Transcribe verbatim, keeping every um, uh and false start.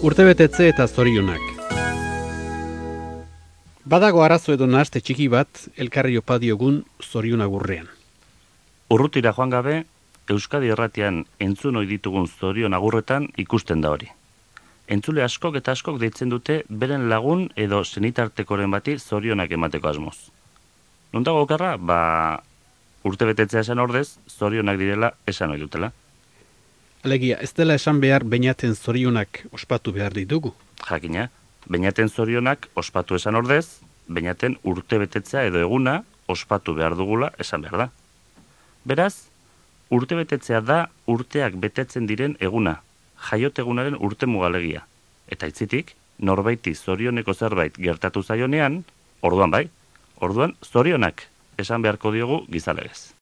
Urtebetetze eta zorionak. Badago arazo edo nahaste txiki bat elkarri opa diogun zorion agurrean. Urrutira joan gabe, Euskadi Irratian entzun ohi ditugun zorion agurretan ikusten da hori. Entzule askok eta askok deitzen dute beren lagun edo senitartekoren bati zorionak emateko asmoz. Non dago okerra? Ba, urtebetetzea esan ordez, zorionak direla esan ohi dutela. Alegia, ez dela esan behar beinaten zorionak ospatu behar ditugu. Jakina, beinaten zorionak ospatu esan ordez, beinaten urtebetetzea edo eguna ospatu behar dugula esan behar da. Beraz, urtebetetzea da urteak betetzen diren eguna, jaiotegunaren urte mugalegia. Eta itzitik, norbaiti zorioneko zerbait gertatu zaionean, orduan bai, orduan zorionak esan beharko diogu gizalegez.